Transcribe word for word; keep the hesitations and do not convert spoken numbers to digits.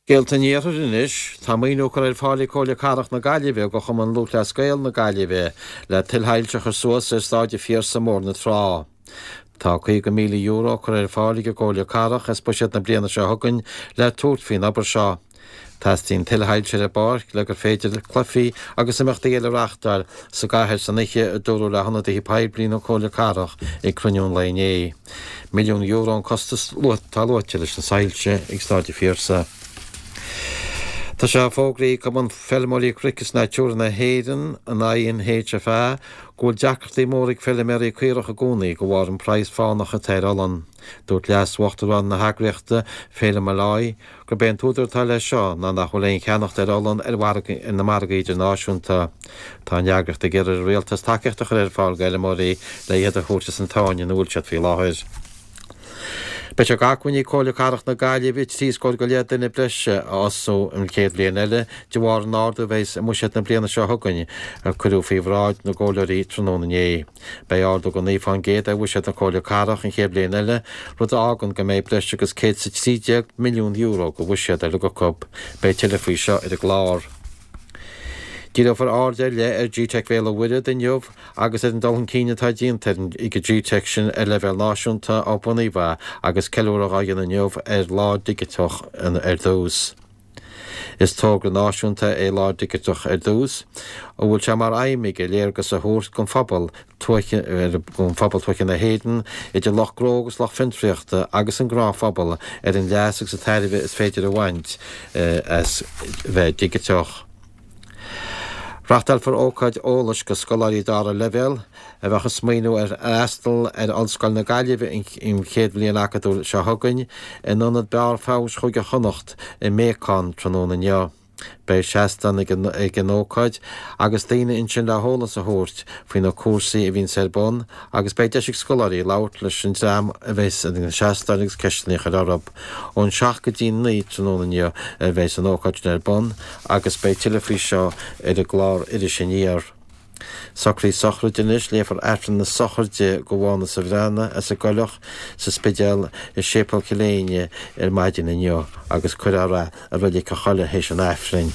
Scéalta an Iarthair anois, tá maoiniú curtha ar fáil ag Comhairle Cathrach na Gaillimhe do Chumann Lúthchleas Gael na Gaillimhe le tuilleadh soilse a chur suas ar Stáid an Phiarsaigh i mBóthar na Trá. Tá caoga míle euro curtha ar fáil ag an gComhairle Cathrach as buiséad na bliana seo chugainn le tabhairt faoin obair seo. Teastaíonn tuilleadh soilse ar an bpáirc le gur féidir cluichí agus imeachtaí eile a reáchtáil sa gcathair san oíche, a dúradh le hionadaithe poiblí na Comhairle Cathrach ag cruinniú an lae inné. Milliún euro an costas atá luaite leis na soilse ag Stáid an Phiarsaigh. Tá sé fógraithe ag Cumann Feilmeoirí Cnoic is Natura na hÉireann, an I N H F A, go bhfuil deacrachtaí móra ag feilméaraí caorach i gcónaí de bharr an praghas fánach atá ar olann. Dúirt leas-uachtarán na heagraíochta, Phelim Molloy, gurb é an t-údar atá leis seo ná nach bhfuil aon cheannacht ar olann ar mhargaí ar na margaí idirnáisiúnta. Tá an eagraíocht ag iarraidh ar an rialtas tacaíocht a chur ar fáil d'fheilméaraí le iad a thabhairt as an tsáinn ina bhfuil siad faoi láthair. Beidh sé d'acmhainn ag Comhairle Cathrach na Gaillimhe trí scór go leith duine breise a fhostú an chéad bhliain eile de bharr an ardú a bheas i mbuiséad na bliana seo chugainn a cuireadh faoi bhráid na gcomhairleoirí tráthnóna inné. Beidh ardú de naoi fán gcéad ar bhuiséad na Comhairle Cathrach an chéad bhliain eile, rud a fhágann go mbeidh breis agus céad is a trí déag milliún euro de bhuiséad ar acu. Beidh tuilleadh faoi seo ar an gclár. Díreofar aird ar leith ar G-Teic Bhéal an Mhuirthead inniu agus ar an dul chun cinn atá déanta ag an G-Teic sin ar leibhéal náisiúnta ó bunaíodh é agus ceiliúradh á dhéanamh inniu ar Lá Digiteach ar dtús. Is togra náisiúnta é Lá Digiteach ar dtús, a bhfuil sé mar aidhm aige léargas a thabhairt don phobal tuaithe don phobal tuaithe na hÉireann, idir lucht gnó agus lucht fiontraíochta agus an gnáthphobal ar an leas agus an tairbhe is féidir a bhaint as bheith digiteach. Reáchtálfar ócáid eolais do scoláirí dara leibhéal a bheadh ag smaoineamh ar fhreastal ar Ollscoil na Gaillimhe an chéad bhliain acadúil seo chugainn in ionad Barr Feabhais Chúige Chonnacht i mBéacán tráthnóna inniu. Beidh seastán ag an ócáid agus daoine ansin le heolas a thabhairt faoi na cúrsaí a bhíonn ar bun agus beidh deis ag scoláirí labhairt leis an dream a bheas ag an seastán agus ceisteanna a chur orthu. Ón seacht go dtí naoi tráthnóna inniu a bheas an ócáid sin ar bun agus beidh tuilleadh faoi seo ar an gclár Iris Aniar. Socruithe sochraide anois léifear Aifreann na sochraide do Mhánas Ó Bhreathnaigh as an gCoileach sa Spidéal i Séipéal Chill Éinne ar maidin inniu agus cuirfear é i Reilig an Choilligh théis an Aifrinn.